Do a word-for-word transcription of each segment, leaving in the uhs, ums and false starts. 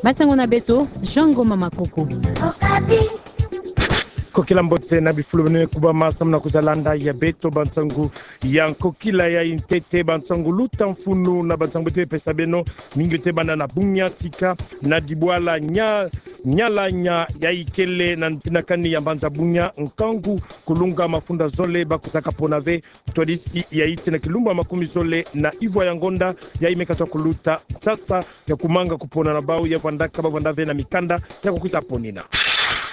Masango na beto, Jean Ngoma Makoko. Kokila mbote na bifulu beno kubama samu na kwiza landa ya beto bansangu ya nkokila ya ntete, bansangu luta mfunu na bansangu beto pesa beno, mingi te banda na Bunia tika na dibwala nya, Nyalanya ya ikele na mfinakani ya mbanza Bunia, nkangu kulunga mafunda zole ba kwizaka pona ve ntwadisi ya iti na kilumbu ya makumi zole na ivwa ya ngonda, yayi me katwa kuluta nsasa ya kumanga kupona na bau ya vwandaka ba vwanda ve na mikanda ya kukwiza ponina.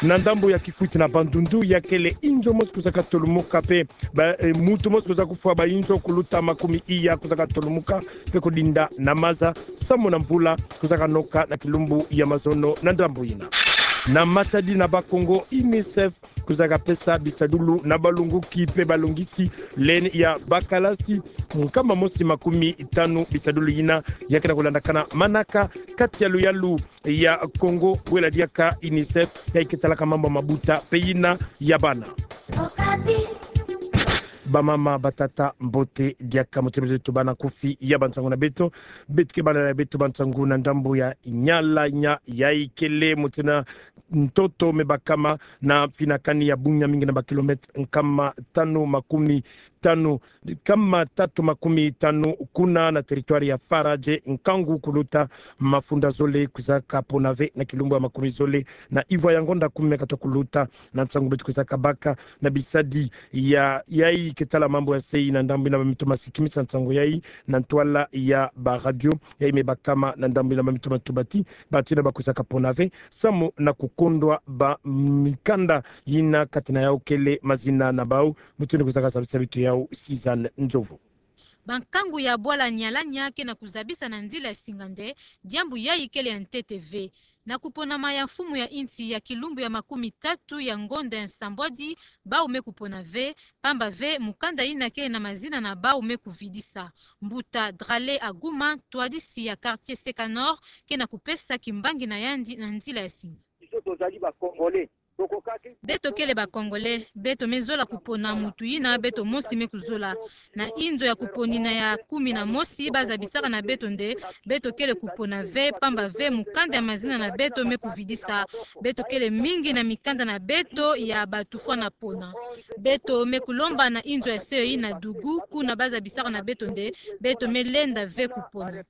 Na ndambu ya Kikwit na Bandundu, ya kele inzo mosi kwizaka tolumuka pe ba, eh, mutu mosi kwiza kufwa, ba inzo kuluta makumi iya kwizaka tolumuka pe kudinda na maza samu na mvula kwizaka noka na kilumbu ya mazono na ndambu yina. Na Matadi na Bas-Congo, UNICEF kwizaka pesa bisadulu na balongoki pe balongisi leni ya bakalasi nkama mosi makumi tanu. Bisadulu yina ya ke na kulandakana manaka kati ya luyalu ya Congo, bwela diaka UNICEF ya iketalaka mambu mabuta pe yina ya bana. Bamama, batata, mbote diaka, mbote beto tubana kofi ya bansangu na beto. Beto ke bana na beto bansangu na ndambu ya Nyalanya ya ikele, mbote na ntoto me bakama na mfinakani ya Bunia, mingi na ba kilomètre nkama tanu makumi tanu, nkama tatu makumi tanu kuna na territoire ya Faradje, nkangu kuluta mafunda zole kwizaka pona ve na kilumbu ya makumi zole na ivwa ya ngonda kumi me katwa kuluta. Na nsangu beto kwizaka baka na bisadi ya, yayi ketala mambu ya se yi na ndambu yina ba mito masikimisa nsangu yayi na ntwala ya ba radio yayi me bakama na ndambu yina ba mito matubati bantu yina ba kwizaka pona ve samu na kukondwa ba mikanda yina kati na yau kele mazina na bau. Mutu yina kwizaka zabisa beto yau, Sizanne Nzovu. Bankangu ya bwala Nyalanya ke na kuzabisa na nzila ya singa nde diambu yayi kele ya ntete ve. Na kuponama ya mfumu ya insi ya kilumbu ya makumi tatu ya ngonda ya nsambwadi, bau me kupona ve, pamba ve mukanda yina kele na mazina na bau me kuvidisa. Mbuta Drale Aguma, ntwadisi ya quartier Seka Nord, ke na kupesa kimbangi na yandi na nzila ya singa. Biso tozali ba Congolais. Beto kele ba Congolais, beto me zola kupona mutu yina beto mosi me kuzola. Na inzo ya kuponina ya kumi na mosi, ba zabisaka na beto nde beto kele kupona ve, pamba ve mukanda ya mazina na beto me kuvidisa. Beto kele mingi na mikanda na beto ya ba tufwa na pona. Beto me kulomba na inzo ya se yi na Dougou, kuna ba zabisaka na beto nde beto me lenda ve kupona.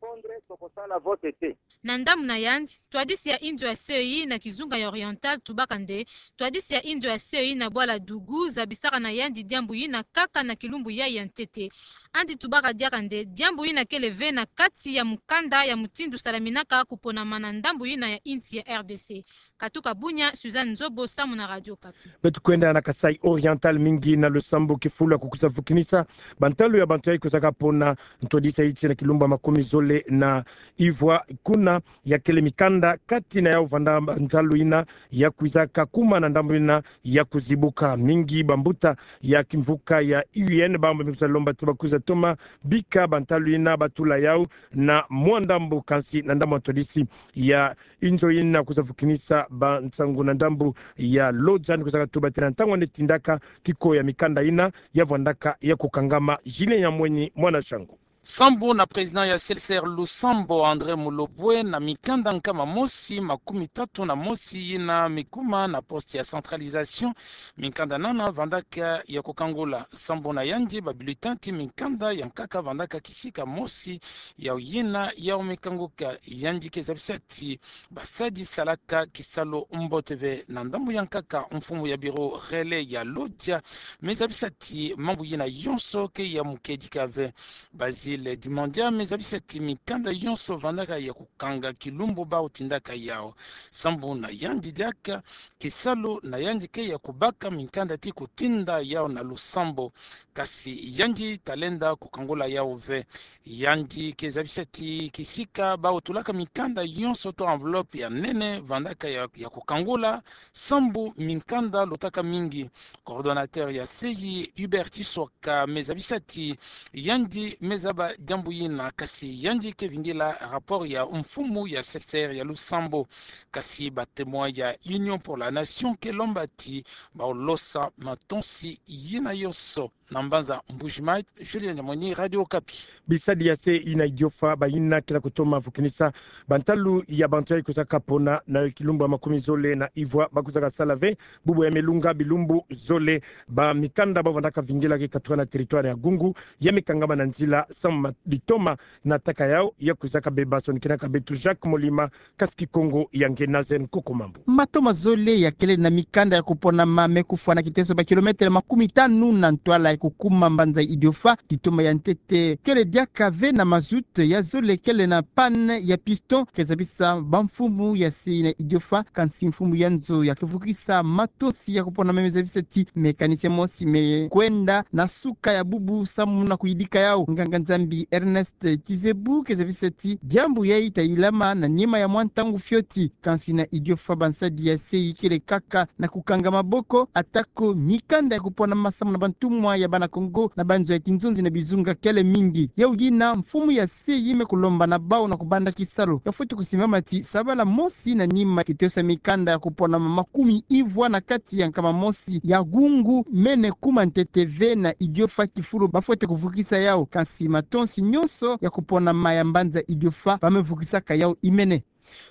Na ndambu na yandi, ntwadisi ya inzo ya se yi na kizunga ya Oriental tubaka nde ntwadisi ya inzo ya se yi na bwala Dougou zabisaka na yandi diambu yina kaka na kilumbu yayi ya ntete. Yandi tubaka diaka nde diambu yina kele ve na kati ya mukanda ya mutindu salaminaka kuponama na ndambu yina ya insi ya R D C. Katuka Bunia, Suzanne Nzobo samu na Radio Okapi. Beto kwenda na Kasaï Oriental, mingi na lusambu kifulu ya kukwiza vukinisa bantalu ya bantu yayi kwizaka pona ntwadisi ya iti na kilumbu ya makumi zole na ivwa, kuna ya kele mikanda kati na yau vanda bantalu yina ya kwizaka kuma na ndambu yina ya kuzibuka. Mingi bambuta ya kimvuka ya U N bambu me kwiza lomba ti ba kwiza toma bika bantalu yina ba tula yau na mwa ndambu, kansi na ndambu ya ntwadisi ya inzo yina kwiza vukinisa bansangu na ndambu ya Lodja, yandi kwizaka tuba ti na ntangu yandi tindaka kiko ya mikanda yina ya vwandaka ya kukangama. Julien Nyamwenyi, mwana Shangu. Sambu na président ya C L C R Lusambo, André Mulobwe, na mikanda nkama mosi makumi tatu na mosi yina me kuma na poste ya centralisation, mikanda nana vandaka ya kukangula. Sambu na yandi, ba bulletin ti mikanda ya nkaka vandaka kisika mosi yau yina yau me kanguka. Yandi ke zabisa ti basadi salaka kisalu mbote ve. Na ndambu ya nkaka, mfumu ya bureau relais ya Lodja me zabisa ti mambu yina yonso ke ya mukedika ve. Basile Dimandia me zabisa ti mikanda yonso vandaka ya kukanga kilumbu bau tindaka yau. Sambu na yandi diaka, kisalu na yandi ke ya kubaka mikanda ti kutinda yau na lusambo, kasi yandi talenda kukangula yau ve. Yandi ke zabisa ti kisika bau tulaka mikanda yonso to enveloppe ya nene vandaka ya, ya kukangula, sambu mikanda lutaka mingi. Coordonnateur ya se yi, Hubert Tisoka, me zabisa ti yandi me zaba diambu yina, kasi yandi ke vingila rapport ya mfumu ya C L C R ya Lusambo. Kasi ba Témoins ya Union pour la Nation ke lomba ti bau losa matonsi yina yonso. na mbanza Mbuji-Mayi, Julien Nyamweni, Radio Okapi. Bisadi ya se ina idiofa bayina kila kutoma vukinisa bantalu ya bantu yayi kuzaka pona na kilumbu ya makumi zole na ivwa, bakuzaka sala ve bubu ya melunga bilumbu zole. Bamikanda bavandaka vingila ke katuka na territoire ya Gungu, ya me kangama na nzila samu ma-, litoma na ntaka yawu, ya kuzaka beba. Sonikinaka beto Jacques Molima, kasi Kikongo ya nge Nazen Kokomambu. Mato mazole yakele na mikanda ya kuponama me kufwa na kiteso ba kilometele makumi tanu na ntwala ya kukuma mbanza idiofa. Litoma ya ntete kele diaka ve na mazout, ya zole kele na panne ya piston, ke zabisa bamfumu ya se ina idiofa. Kansi mfumu ya nzo ya kuvukisa matonsi ya kuponama me zabisa ti mécanicien mosi me kwenda na suka ya bubu samu na kuyidika yawu. Nganga-Nzambi Ernest Kizebu ke zabisa ti diambu yayi ta yilama na nima ya mwa ntangu fioti. Kansi na idiofa bansadi ya se ikele kaka na kukanga maboko, atako mikanda ya kuponama samu na bantumwa ya bana Kongo na banzo ya kinzonzi na bizunga kele mingi. Yawu yina mfumu ya se yi me kulomba na bawu na kubanda kisalu ya fweti kusimbama ti sabala mosi na nima kiteso ya mikanda ya kuponama makumi ivwa na kati ya nkama mosi ya Gungu mene kuma ntete ve na idiofa kifulu bafweti kuvukisa yawu. Kansi matonsi nyonso ya kuponama ya mbanza idiofa ba me vukisaka yawu imene.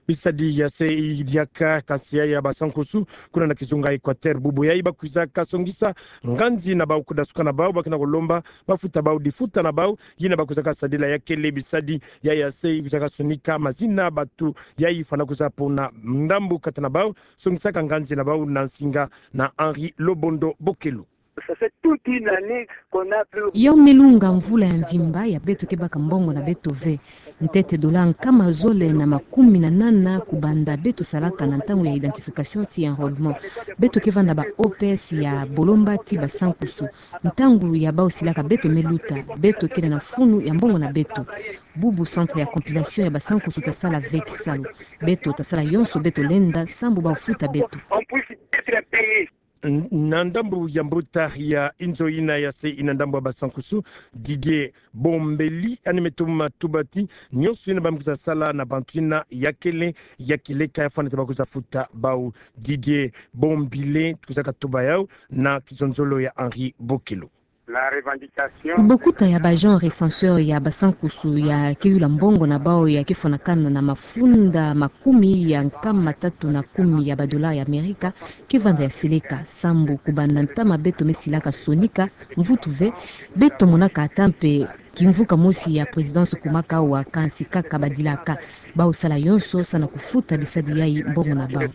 Bisadi ya se idiaka kansi ya, ya basankusu kuna na kizunga Equateur. Bubu yayi bakwizaka songisa nganzi na bawu, kudasuka na bawu, bakina kulomba bafuta bawu difuta na bawu. Yina bakwizaka sadila yakele bisadi ya, ya se ikwizaka sonika mazina bantu yayi fwana kwiza pona ndambu kati na bawu. Songisaka nganzi na bawu na nsinga na Henri Lobondo Bokelo. Ça fait toute une année qu'on a plus. Yawu me lunga mvula ya mvimba ya beto ke baka mbongo na beto ve. Ntete dola nkama zole na makumi na nana kubanda beto salaka na ntangu ya identification ti enrôlement. Beto ke vanda ba O P S ya bolomba ti basankusu. Ntangu ya bawu silaka beto me luta, beto kele na funu ya mbongo na beto. Bubu centre ya compilation ya basankusu ta sala ve kisalu. Beto ta sala yonso beto lenda sambu bawu futa beto. On puisse être payé. N-, na ndambu ya mbuta ya inzo yina ya se ina ndambu ya basankusu, Didier Bombeli, yandi me toma tuba ti nyonso yina ba me kwiza sala na bantu yina yakele ya kileka, ya fwana ti ba kwiza futa bawu. Didier Bombele kwizaka tuba yawu na kizonzolo ya Henri Bokelo. La revendication. Kubokuta ya ba agent recenseur ya basankusu ya ke yula mbongo na bawu ya ke fwanakana na mafunda makumi ya nkama tatu na kumi ya ba dola ya Amerika ke vanda ya seleka, sambu kubanda ntama beto me silaka sonika mvutu ve, beto monaka ata mpe kimvuka mosi ya présidence kumaka awa, kansi kaka badilaka. Bawu sala yonso samu na kufuta bisadi yayi mbongo na bawu.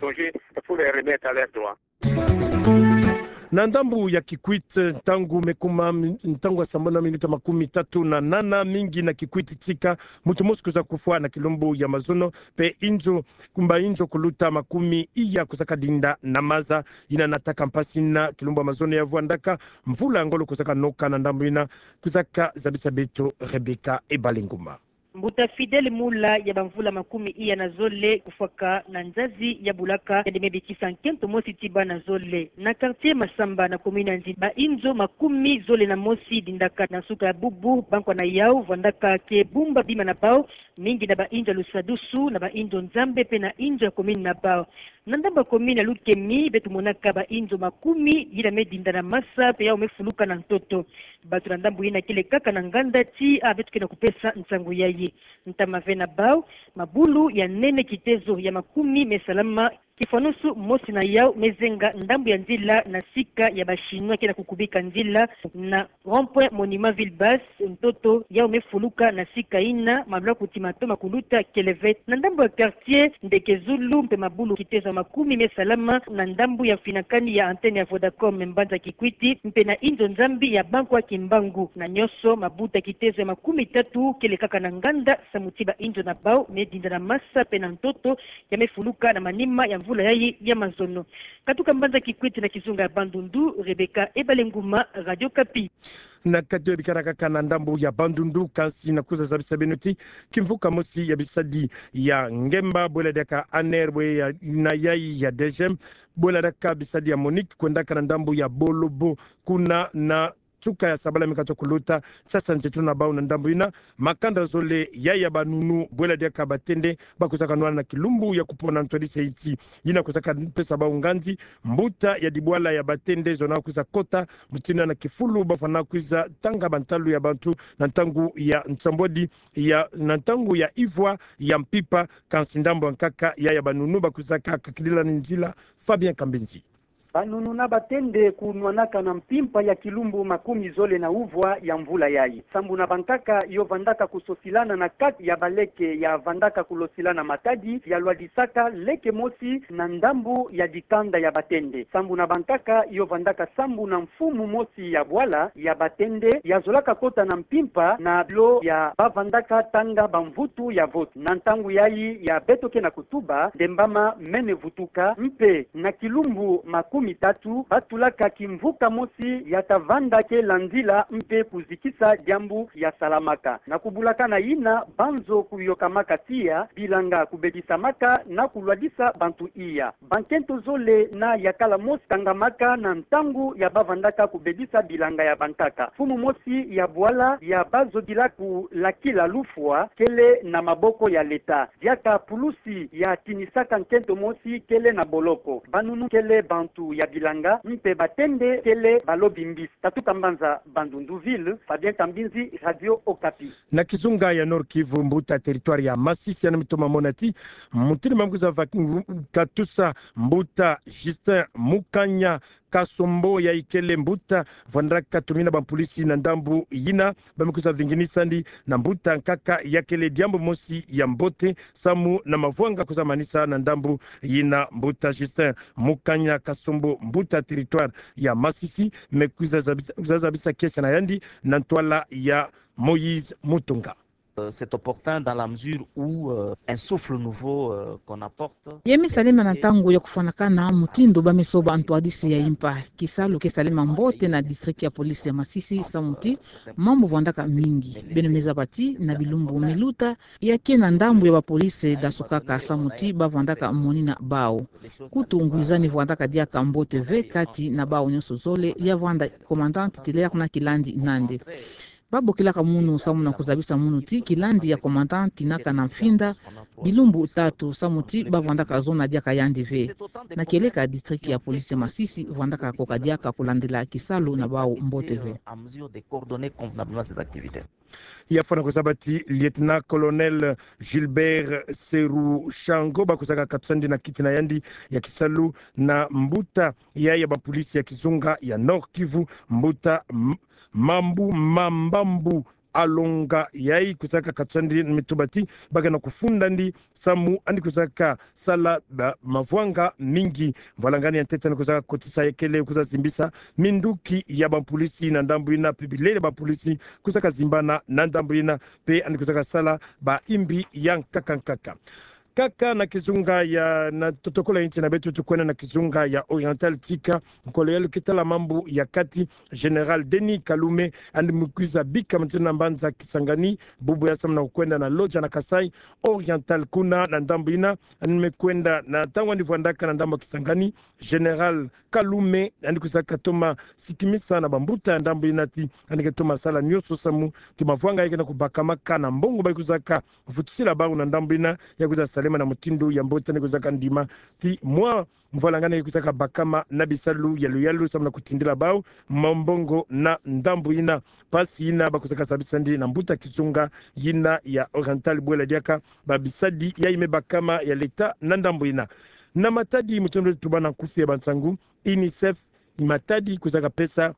Na ndambu ya Kikwit, ntangu me kuma mi-, ntangu ya sambanu na minuta makumi tatu na nana, mingi na Kikwit tika muntu mosi kwiza kufwa na kilumbu ya mazono, mpe inzo, kumba inzo kuluta makumi iya kwizaka dinda na maza. Yina nataka mpasi na kilumbu ya mazono ya vwandaka, mvula ya ngolo kwizaka noka na ndambu yina. Kwizaka zabisa beto Rebecca Ebalenguma. Mbuta Fidèle Mula ya bamvula makumi iya na zole kufwaka na nzazi ya bulaka, yandi me bikisa nkento mosi ti bana zole. Na quartier Masamba na commune ya Ndjili, ba inzo makumi zole na mosi dindaka na nsuka ya bubu, bankwa na yawu vwandaka ke bumba bima na bawu, mingi na ba inzo ya lusadusu, na ba inzo Nzambe mpe na inzo ya commune na bawu. Na ndambu ya commune ya Lukemi, beto monaka ba inzo makumi yina me dinda na masa mpe yawu me fuluka na ntoto. Bato na ndambu yina kele kaka na nganda ti awa beto ke na kupesa nsangu yayi. Ntama ve na bawu, mabulu ya nene kitezo ya makumi me salama, kifwanusu mosi na yawu me zenga ndambu ya nzila na sika ya ba Chinois ke na kukubika nzila na rond-point Monument Ville Basse, ntoto yawu me fuluka na sika yina, malwa kuti matoma kuluta kele ve. Na ndambu ya quartier Ndeke Zulu mpe mabulu kitezo ya makumi me salama na ndambu ya mfinakani ya antenne ya Vodacom mbanza Kikwit, mpe na inzo Nzambi ya bankwa Kimbangu. Na nyonso, mabuta kitezo ya makumi tatu kele kaka na nganda, samu ti ba inzo na bawu me dinda na masa mpe na ntoto, ya me fuluka na manima ya mvula yayi ya mazono. Katuka mbanza Kikwit na kizunga ya Bandundu, Rebecca Ebalenguma, Radio Okapi. Na kati ya bikana kaka na ndambu ya Bandundu, kansi na kwiza zabisa beno ti kimvuka mosi ya bisadi ya ngemba, bwela diaka ANR, bwe ya, na yayi ya DGM, bwela diaka bisadi ya MONUC, kwendaka na ndambu ya Bolobo, kuna na Nsuka ya sabala mi katoka kuluta, sasa nzeto na bau na ndambu yina, makanda zole ya ya banunu bwela diaka batende, bakusaka nwana na kilumbu ya kupona ntwadisa nti. Yina kusaka pesa bau nganzi, mbuta ya dibwala ya batende zona kwiza kota, mutindu na kifulu bafwana kwiza tanga bantalu ya bantu, na ntangu ya nsambwadi, ya, na ntangu ya ivwa ya mpimpa, kansi ndambu ya nkaka ya ya banunu bakusaka kakidila ni nzila, Fabien Kambinzi. Banunu na batende kunwanaka na mpimpa ya kilumbu makumi zole na uvwa ya mvula yayi. Sambu na bankaka yo vandaka kusosilana na kati ya baleke ya vandaka kulosilana matadi ya lwadisaka leke mosi na ndambu ya dikanda ya batende. Sambu na bankaka yo vandaka sambu na mfumu mosi ya bwala ya batende ya zolaka kota na mpimpa na bilo ya bavandaka tanga bamvutu ya vote. Na ntangu yayi ya beto ke na kutuba, ndembama mene vutuka, mpe na kilumbu makumi tatu, batulaka kimvuka mosi ya ta vanda kela nzila mpe kuzikisa diambu ya salamaka. Na kubulaka na yina, banzo kuyokamaka tiya, bilanga kubedisamaka na kulwadisa bantu iya. Bankento zole na yakala mosi tangamaka na ntangu ya bavandaka kubedisa bilanga ya bankaka. Mfumu mosi ya bwala ya bazodila kulakila lufwa kele na maboko ya leta. Diaka pulusi ya tinisaka nkento mosi kele na boloko. Banunu kele bantu ya bilanga, mpe batende kele balobi mbisi. Tatuka mbanza Bandundu ville, Fabien Kambinzi, Radio Okapi. Na kizunga ya Nord-Kivu, mbuta territoire ya Masisi, yandi mi toma mona ti mutindu ba mi kwiza va-, katusa mbuta Justin Mukanya Kasombo, yayi kele mbuta vandaka tumina bampulisi na ndambu yina, ba mi kwiza vinginisa ndi na mbuta nkaka ya kele diambu mosi ya mbote, samu na mavwanga kwiza manisa na ndambu yina. Mbuta Justin Mukanya Kasombo, mbuta territoire ya Masisi, me kwiza zabisa, kwiza zabisa kiese na yandi na ntwala ya Moïse Mutunga. Euh, c'est opportun dans la mesure où, euh, un souffle nouveau, euh, qu'on apporte. Ye me salema na ntangu ya kufwanakana mutindu ba me soba ntwadisi ya impa. Kisalu ke salema mbote na district ya police ya Masisi, samu ti mambu vandaka mingi. Beno me zaba ti na bilumbu me luta, ya ke na ndambu ya bapolice dasukaka, samu ti ba vandaka monina bau. Kutu ngwizani vandaka diaka mbote ve kati na bau nyonso zole, ya vanda commandant titulaire na kilandi nandi. Ba bokilaka munu samu na kuzabisa munu ti kilandi ya commandant tinaka na mfinda bilumbu tatu, samu ti ba vandaka zona diaka yandi ve. Na kieleka district ya police ya Masisi vandaka koka diaka kulandila kisalu na bau mbote ve. Ya fwana kuzaba ti lieutenant-colonel Gilbert Serushango, ba kuzaka katusa ndi na kiti na yandi ya kisalu na mbuta ya, ya bapolice ya kizunga ya Nord-Kivu, mbuta M-, Mambu Mambambu Alonga, yayi kuzaka katusa ndi me tuba ti ba ke na kufunda ndi samu yandi kuzaka sala ba mavwanga mingi. Mvwalangani ya ntete yandi kuzaka kotisa ya kele kwiza zimbisa minduki ya bapolice na ndambu yina, mpe bilele bapolice kuzaka zimbana na ndambu yina, mpe yandi kuzaka sala ba imbi ya nkaka nkaka. Kaka na kizunga ya, na totokola nti na beto, tukwenda na kizunga ya Oriental, tika nkolo ya lukita la mambu ya kati, Général Denis Kalume, yandi me kwiza bika mutindu na mbanza Kisangani, bubu ya samu na kukwenda na Lodja na Kasaï Oriental. Kuna na ndambu yina, yandi me kwenda na ntangu yandi vwandaka na ndambu Kisangani, Général Kalume yandi kuzaka toma sikimisa na bambuta ya ndambu yina ti yandi ke toma sala nyonso samu ti mavwanga ya ke na kubakamaka na mbongo ba kuzaka vutusila bau na ndambu yina, ya kwiza salema na mutindu ya mbote. Yandi kuzaka ndima ti mwa mvwalangani ya kwiza kabakama na bisalu ya luyalu samu na kutindila bau mwa mbongo na ndambu yina. Mpasi yina ba kuzaka zabisa ndi na mbuta kizunga yina ya Oriental bwela diaka ba bisadi yayi me bakama ya leta na ndambu yina. Na matadi mutindu tuba na nkufi ya bansangu, UNICEF, matadi kuzaka pesa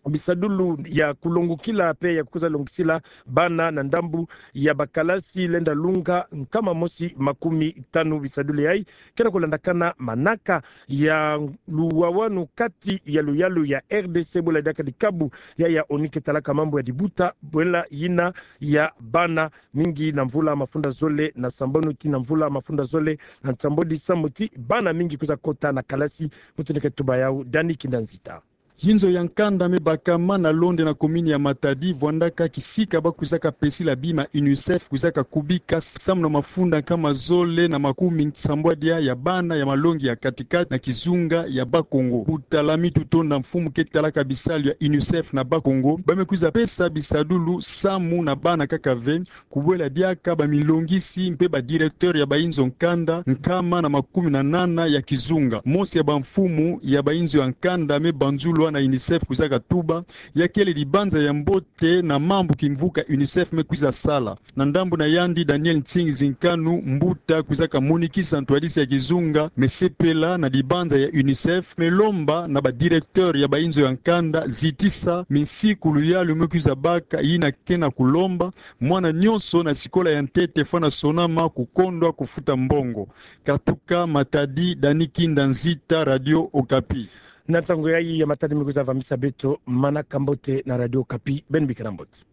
bisadulu ya kulongokila mpe ya kwiza longisila bana na ndambu ya bakalasi lenda lunga nkama mosi makumi tanu. Bisadulu yayi ke na kulandakana manaka ya luwawanu kati ya luyalu ya R D C bwela diaka dikabu ya, ya ONU ke talaka mambu ya dibuta bwela yina ya bana, mingi na mvula mafunda zole na sambanu tii na mvula mafunda zole na nsambwadi, samu ti bana mingi kwiza kota na kalasi. Mutindu ke tuba yau Dani Kinda Nzita. Inzo ya nkanda me bakama na Londe na commune ya Matadi vwandaka kisika ba kwizaka pesila bima UNICEF kwizaka kubika samu na mafunda nkama zole na makumi nsambwadia ya bana ya malongi ya kati-kati na kizunga ya Bas-Congo. Mbuta Lami Tutonda, mfumu ke talaka bisalu ya UNICEF na Bas-Congo, ba me kwiza pesa bisadulu samu na bana kaka ve, kubwela diaka bamilongisi mpe ba directeur ya bainzo nkanda nkama na makumi na nana ya kizunga. Mosi ya bamfumu ya bainzo ya nkanda me banzulwa na UNICEF kwizaka tuba, ya kele dibanza ya mbote na mambu kimvuka UNICEF me kwiza sala. Na ndambu na yandi, Daniel Nsingi Zinkanu, mbuta kwizaka monikisa ntwadisi ya kizunga, me sepela na dibanza ya UNICEF, me lomba na ba directeur ya bainzo ya nkanda zitisa minsiku luyalu me kwiza baka yina ke na kulomba mwana nyonso na sikola ya ntete fwana sonama kukondwa kufuta mbongo. Katuka Matadi, Dani Kinda Nzita, Radio Okapi. Na ntangu yayi ya Matadi me kwiza vamisa beto manaka mbote na Radio Okapi, beno bikila mbote.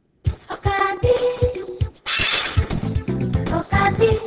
Okapi. Okapi.